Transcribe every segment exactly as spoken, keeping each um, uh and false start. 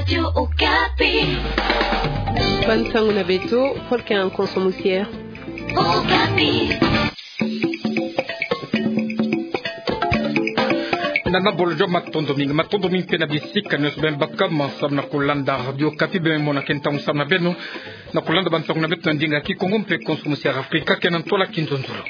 Radio Okapi. Bansango na beto, Volker Nkonso Musier. Okapi. Nana bolo jo, matondo mingi, matondo mingi mpe na bisika nyonso beno baka ma samu na kulanda Radio Okapi. Beno mona ke ntangu samu na beno na kulanda bansango na beto na ndinga Kikongo mpe Nkonso Musier Afrika, ke na ntwala kinzonzolo.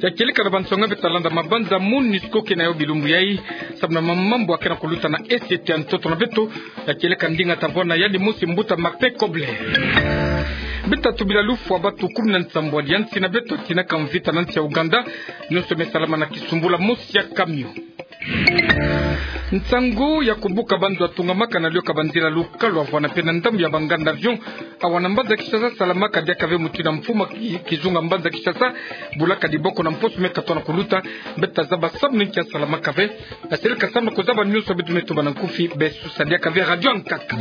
Ya kieleka na bansango beto talanda mabanza, MONUSCO ke na yo bilumbu yai samu na mambu akena kuluta na esete ya ntoto na beto. Ya kieleka ndinga tavwanda yandi mosi, mbuta Martin Kobler. Beto tubila lufwa batu kumi na nsambwadi ya nsi na beto tinaka mvita na nsi ya Ouganda. Nyonso me salama na kisumbula mosi ya camion. Nsangu ya kubuka banzo atungamaka na lioka banzila lukalu avwanda mpe na ndambu ya banganda avion awa na mbanza Kinshasa salamaka diaka ve mutindu ya mfumu ki-, kizunga mbanza Kinshasa bulaka diboko na mposo me katona kuluta. Beto tazaba samu na nki asalamaka ve. Aseleka samu na kuzaba nyonso, beto me tuba na nkufi, besusa diaka ve Radio Nkaka.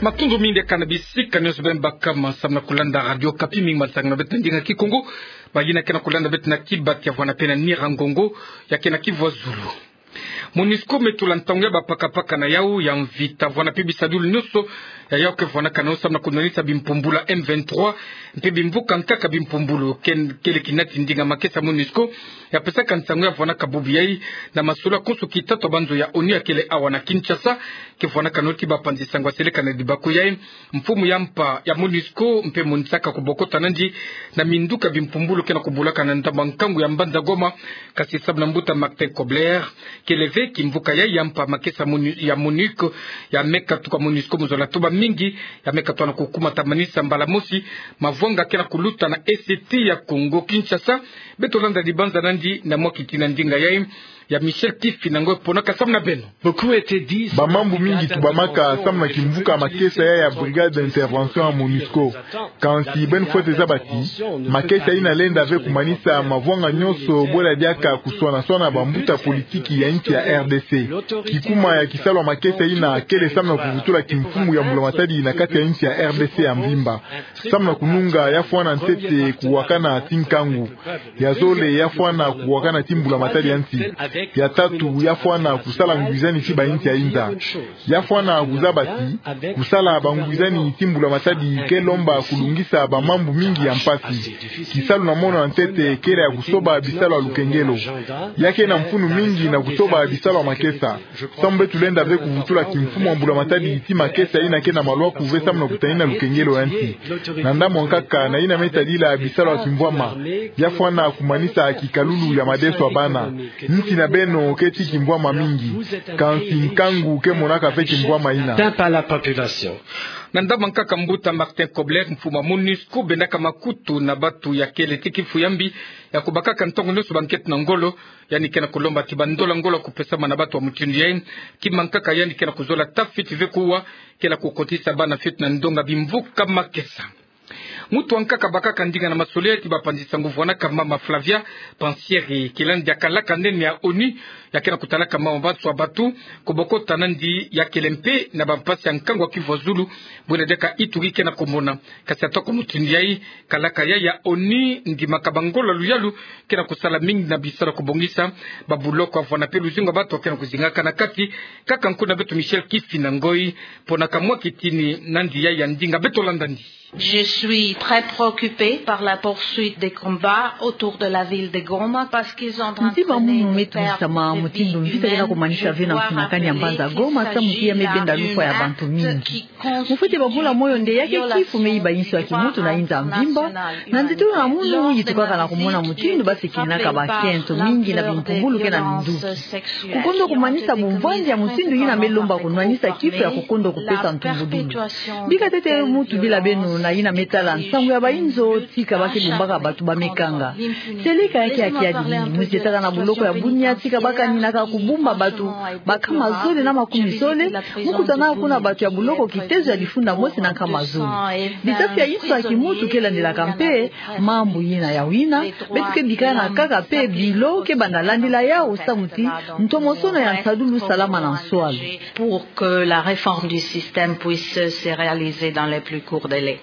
Matondo mingi diaka na bisika nyonso beno baka ma samu na kulanda Radio Okapi, mingi masangu na beto na ndinga Kikongo. Bayina ke na kulanda beto na Kibati avwanda mpe na Nyiragongo, ya ke na Kivu ya Zulu. MONUSCO me tula ntangu ya bapakapaka na yau ya mvita avwanda mpe bisadulu nyonso ya yau ke vwanakana samu na kunwanisa bimpumbulu ya M vingt-trois mpe bimvuka nkaka bimpumbulu. Ken-, kele kinati ndinga makesa MONUSCO ya pesaka nsangu ya vwanaka bubu yai na masolo konso kitatu ya banzo ya ONU ya kele awa na Kinshasa, ke vwanakana ti bapanzi sango aseleka na dibakuyai. Mfumu ya mpa ya MONUSCO mpe monisaka kubokota nandi na minduka bimpumbulu ke na kubulaka na ndambu ya nkangu ya mbanza Goma, kasi samu na mbuta Martin Kobler, kele ve kimvuka ya, ya mpa makesa MONU-, ya MONUC, ya me katuka MONUSCO mu zola tuba mingi, ya me katona kukumatamanisa mbala mosi mavwanga ke na kuluta na esete ya Kongo Kinshasa. Beto landa dibanza nandi na mwa kitina ndinga yai ya Michel Kifinangoi, ponaka samu na beno. Bamambu mingi tubamaka samu na kimvuka makesa ya, ya Brigade d'Intervention ya MONUSCO. Kansi beno fwete zaba ti makesa yina lenda ve kumanisa mavwanga nyonso bwela diaka kuswana-swana bambuta politiki ya nsi ya R D C. Kikuma ya kisalu ya makesa yina kele samu na kuvutula kimfumu ya mbulamatadi na kati ya nsi ya R D C ya mvimba. Samu na kununga ya fwana ntete kuwakana ti nkangu. Ya zole ya fwana kuwakana ti mbulamatadi ya nsi. Ya tatu ya fwana kusala ngwizani ti bainsi ya inza. Ya fwana kuzaba ti kusala bangwizani ti mbulamatadi ke lomba kulungisa bamambu mingi ya mpasi. Kisalu na mono ya ntete kele ya kusoba bisalu ya lukengelo. Ya ke na mfunu mingi na kusoba bisalu ya makesa. Samu beto lenda ve kuvutula kimfumu ya mbulamatadi ti makesa yina ke na malwaku ve samu na kutanina lukengelo ya nsi. Na ndambu ya nkaka na yina me tadila bisalu ya kimvwama, ya fwana kumanisa kikalulu ya madeso ya bana. Nsi na beno ke ti kimvwama mingi. Kansi nkangu ke monaka ve kimvwama yina. Atteint par la population. Na ndambu ya nkaka, mbuta Martin Kobler, mfumu ya MONUSCO bendaka makutu na batu ya kele ti kifu ya mbi ya kubakaka ntongo nyonso bankento na ngolo. Yandi ke na kulomba ti bandola ngolo kupesama na batu ya mutindu yai. Kima nkaka yandi ke na kuzola tafiti ve kuwa ke na kukotisa bana fiote na ndonga bimvuka makesa. Mutu wa nkaka bakaka ndinga na masolo yai ti bapanzi sango vwanaka mama Flavia Pansieri, kilandi ya kalaka nene ya ONU ya ke na kutalaka mama bansoni ya batu, kubokota nandi ya kele mpe na bampasi ya nkangu ya Kivu ya Zulu, bwena diaka Ituri ke na kumona. Kasi ata kwa mutindu yai, kalaka yai ya ONU ndimaka bangolo ya luyalu ke na kusala mingi na bisalu ya kubongisa babuloko avwanda mpe luzingu ya batu ke na kuzingaka na kati. Nkaka nkuna beto Michel Kifinangoi, ponaka mwa kitini nandi yai ya ndinga, beto landa nandi. Je suis très préoccupée par la poursuite des combats autour de la ville de Goma parce qu'ils sont en train de... Ntima munu me tulisama mutindu mvita ke na kumanisa ve na mfunakani ya mbanza Goma, samu ti ya me benda lufwa ya bantu mingi. Mu fwete babula moyo nde ya ke kifu me yiba inso ya kimuntu na inza mvimba. Na ntetolo na munu yi tukaka na kumona mutindu basikininaka bakento mingi na bimpumbulu ke na minduki. Kukondwa kumanisa bumvwandi ya mutindu yina me lomba kunwanisa kifu ya kukondwa kupesa ntumbudulu. Bika ntete mutu bila beno na yina me tala nsangu ya bainzo, tika ba ke bumbaka batu ba me kanga. Seleka ya ke ya kiadi mingi. Mu zi etaka na buloko ya Bunia, tika ba kaninaka kubumba batu baka mazole na makumi zole, mu kutanaka kuna batu ya buloko kitezo ya difunda mosi na nkama zole. Bitafi ya inso ya kimuntu ke landilaka mpe mambu yina ya wina. Beto ke bika na kaka mpe bilo ke banda landila yau samu ti ntomosono ya nsadulu salama na nswalu. Pour que la réforme du système puisse se réaliser dans les plus courts délais.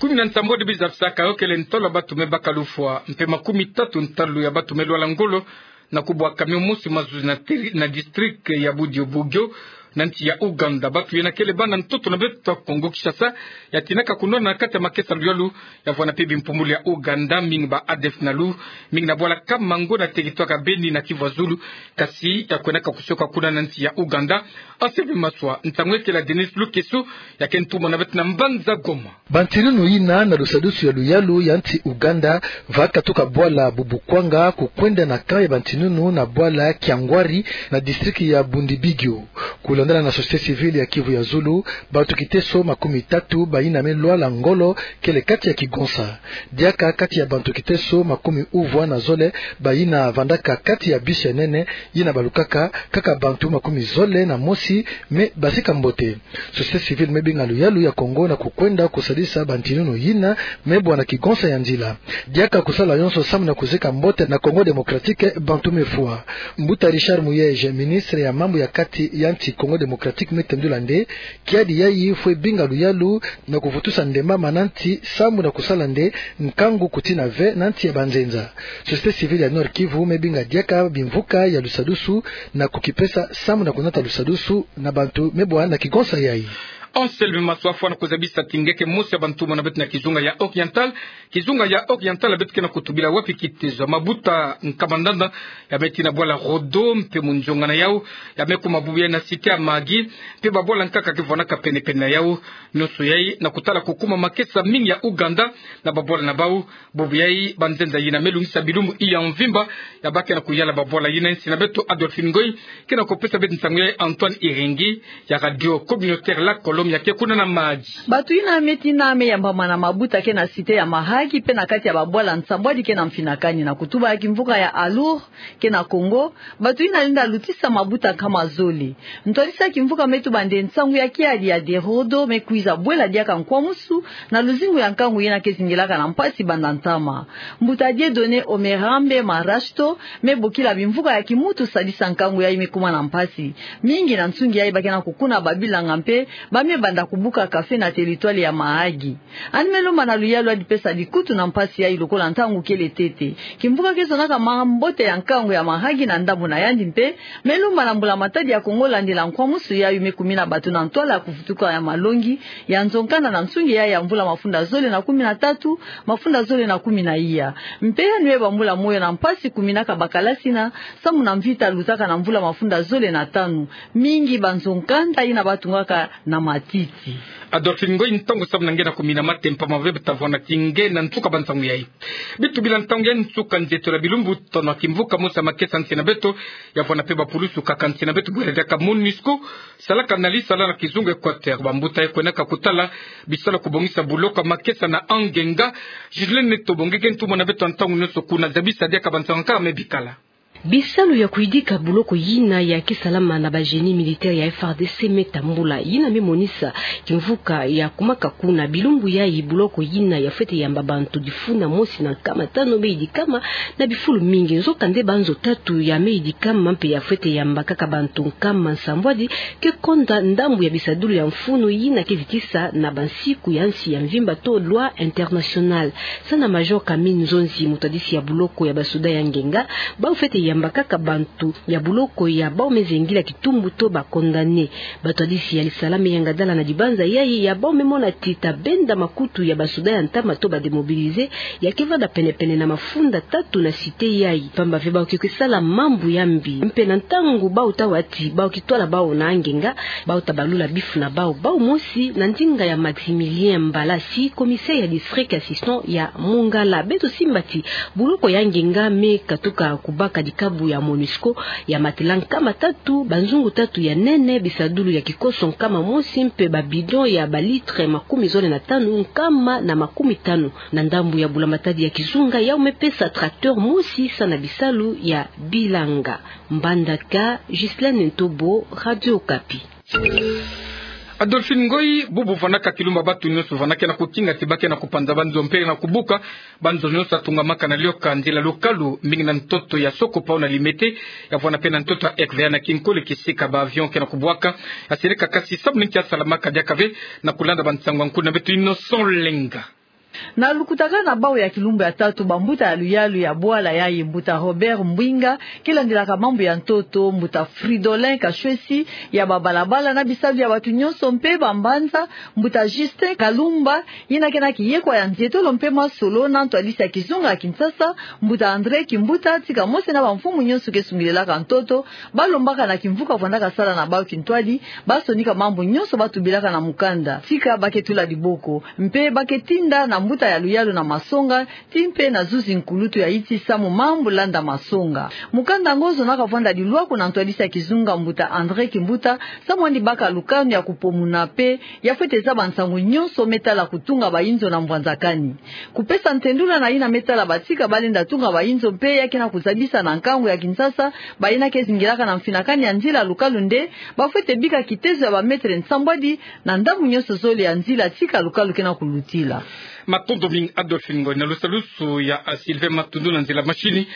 Kumi na nsambwadi biza bisaka yo kele ntolo ya batu me baka lufwa, mpe makumi tatu ntalu ya batu me lwala ngolo Na kubwaka mio mosi mazuzi na teri-, na district ya Bundibugyo, na nsi ya Ouganda. Bantu yena kele bana ntoto na beto ya Congo Kinshasa, ya tinaka kunwana na kati ya makesa luyalu, ya vwanda mpe bimpumbulu ya Ouganda, mingi ba A D F nalu, mingi na bwala Kamango na territoire ya Beni na Kivu ya Zulu, kasi ya kwenaka kusioka kuna na nsi ya Ouganda. Anselme Maswa, ntangu ya kela Denis Lukeso, ya ke ntumwa na beto na mbanza Goma. Bantinunu yina na lusadusu ya luyalu ya nsi Ouganda, va katuka bwala Bubukwanga, kukwenda na camp ya bantinunu na bwala Kiangwari, na district ya Bundibugyo. Kulandala na société civile ya Kivu ya Zulu, bantu kiteso makumi tatu bayina me lwala ngolo kele kati ya kigonsa. Diaka kati ya bantu kiteso makumi uvwa na zole bayina vandaka kati ya bus ya nene, yina balukaka, kaka bantu makumi zole na mosi me basika mbote. Société civile me binga luyalu ya Congo na kukwenda kusadisa bantinunu yina me bwana kigonsa ya nzila. Diaka kusala yonso samu na kuzika mbote na Congo Démocratique bantu me fwa. Mbuta Richard Muyej, ministre ya mambu ya kati ya nsi Congo Démocratique, me tendula nde kiadi yayi fwe binga luyalu na kuvutusa ndemama na nsi samu na kusala nde nkangu kutina ve na nsi ya banzenza. Société civile ya Nord-Kivu me binga diaka bimvuka ya lusadusu na kukipesa samu na kunata lusadusu na bantu me bwana kigonsa yayi. Anselme Maswa, fwa na kuzabisa ti nge ke mosi ya bantumwa na beto na kizunga ya Oriental. Kizunga ya Oriental ya beto ke na kutubila wapi kitezo. Mabuta nkama ndanda ya me tina bwala Rodo mpe munzonga na yau, ya me kuma bubu yayi na cité ya Mahagi, mpe babwala nkaka ke vwanaka pene-pene na yau. Nionso yayi na kutala kukuma makesa mingi ya Ouganda na babwala na bau. Bubu yayi banzenza yina me lungisa bilumbu iya mvimba, ya bake na kuyala babwala yina. Nsi na beto Adolphine Ngoy ke na kupesa beto nsangu yayi. Antoine Iringi ya Radio Communautaire La Colombe ya ke kuna na Mahagi. Bantu yina me tina me yambama na mabuta ke na cité ya Mahagi mpe na kati ya babwala nsambwadi ke na mfinakani na kutuba ya kimvuka ya Alour ke na Congo. Bantu yina lenda lutisa mabuta nkama zole. Ntwadisi ya kimvuka me tuba nde nsangu ya kiadi ya Derodo me kwiza bwela diaka nkwamusu na luzingu ya nkangu yina ke zingilaka na mpasi banda ntama. Mbuta Dieudonné Omerambe Marashto me bokila bimvuka ya kimutu sadisa nkangu yayi me kuma na mpasi. Mingi na nsungi yayi ba ke na kukuna babilanga mpe ba me banda kubuka café na territoire ya Mahagi. Yandi me lomba na luyalu yandi pesa likutu na mpasi yayi lokola ntangu kele ntete. Kimvuka ke zonaka mambote ya nkangu ya Mahagi na ndambu na yandi mpe me lomba na mbula matadi ya Congo landila nkwamusu yayi me kumina bato na ntwala ya kuvutuka ya malongi ya nzo-nkanda na nsungi yayi ya mvula mafunda zole na kumi na tatu, mafunda zole na kumi na iya. Mpe yandi me bambula moyo na mpasi kuminaka bakalasi na samu na mvita lutaka na mvula mafunda zole na tanu. Mingi banzo-nkanda yina ba tungaka na matiti. Adolphine Ngoy, ntangu samu na nge na kumina mate mpamba ve beta vwanda ti nge na nsuka ba nsangu yayi. Bitubila ntangu ya nsuka nzietolo ya bilumbu tono ya kimvuka mosi ya makesa nsi na beto, ya vwanda mpe bapulusu kaka nsi na beto bwela diaka MONUSCO, salaka na lisala na kizunga Équateur. Bambuta ya kwenaka kutala bisalu ya kubongisa buloko ya makesa na angenga. Ghislaine Tobo, nge ke ntumwa na beto ya ntangu nionso kuna, zabisa diaka ba nsangu ya nkaka me bikala. Bisalu ya kuyidika buloko yina ya ke salama na ba génie militaire ya F A R D C me tambula, yina me monisa kimvuka ya kumaka kuna. Bilumbu yayi buloko yina ya fwete yamba bantu difuna mosi na nkama tanu me yidikama na bifulu mingi. Nzokande banzo tatu ya me yidikama mpe ya fwete yamba kaka bantu nkama nsambwadi ke konda ndambu ya bisadulu ya mfunu yina ke zitisa na bansiku ya nsi ya mvimba to loi internationale. Sana Major Camille Nzonzi, mutwadisi ya buloko ya basoda ya ngenga, bau fwete yamba kaka bantu ya buloko ya bau me zengila kitumbu to ba condamné. Batwadisi ya lisala me yangadala na dibanza yayi ya bau me mona ti ta benda makutu ya basoda ya ntama to ba démobilisés ya ke vanda pene-pene na mafunda tatu na cité yayi. Pamba ve bau ke kwe sala mambu ya mbi. Mpe na ntangu bau ta wa ti bau ke twala bau na angenga, bau ta balula bifu na bau, bau mosi na ndinga ya Maximilien Mbalasi, commissaire ya district assistant ya Mongala. Beto simba ti buloko ya ngenga me katuka kubaka dikabu ya MONUSCO ya matela nkama tatu, banzungu tatu ya nene, bisadulu ya kikoso nkama mosi mpe ba bidon ya ba litre makumi zole na tanu, nkama na makumi tanu. Na ndambu ya bula matadi ya kizunga, yau me pesa tracteur mosi sana bisalu ya bilanga. Mbandaka, Ghislaine Ntobo, Radio Okapi. Adolphine Ngoy, bubu vandaka kilumba bantu nionso vandaka na kukinga ti ba ke na kupanza banzo mpe na kubuka banzo nionso ya tungamaka na lioka nzila lukalu, mingi na ntoto ya Sokopau na Limete, ya vwanda mpe na ntoto ya R V A na Kinkole, kisika ba avion ke na kubwaka, ya seleka kasi samu na nki ya salamaka diaka ve, na kulanda ba nsangu ya nkulu na beto Innocent Lenga. Na lukutakanu ya bau ya kilumbu ya tatu, bambuta ya luyalu ya bwala, yayi mbuta Robert Mbwinga, ke landilaka mambu ya ntoto, mbuta Fridolin Kashwesi ya babalabala na bisalu ya bato nyonso mpe bambanza, mbuta Justin Kalumba, yina ke na kiyekwa ya nzietolo mpe masolo na ntwadisi ya kizunga ya Kinshasa, mbuta André Kimbuta, tika mosi na bamfumu nyonso ke sungilelaka ntoto, balombaka na kimvuka vwandaka sala na bau kintwadi, basonika mambu nyonso batubilaka na mukanda. Tika ba ke tula diboko, mpe ba ke tinda na mbuta ya luyalu na masonga, ti mpe na zuzi nkulutu ya yitisa mo mambu landa masonga. Mukanda ngo zonaka vwanda dilwaku na ntwadisi ya kizunga mbuta André Kimbuta, samu yandi baka lukanu ya kupomuna mpe ya fwete zaba nsangu nyonso me tala kutunga bayinzo na mbwanzakani. Kupesa ntendula na yina me tala batika balenda tunga bayinzo mpe ya ke na kuzabisa na nkangu ya Kinshasa, bayina ke zingilaka na mfinakani ya nzila lukalu nde, ba fwete bika kitezo ya ba mètre nsambwadi na ndambu nyonso zole ya nzila tika lukalu ke na kulutila. Matondo mingi Adolphe Ngoy. Na lusalusu ya, ah, Sylvain Matundu na nzila mashini.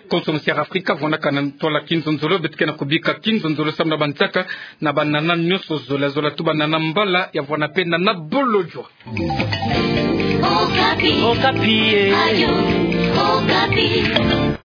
Konso mosi ya Afrika vwanaka na ntwala kinzonzolo, beto ke na kubika kinzonzolo samu na banzaka na banana nyonso zola, zola tu banana mbala ya vwana mpe nana bolojwa. Okapi. Okapi, eh. Ayo, Okapi.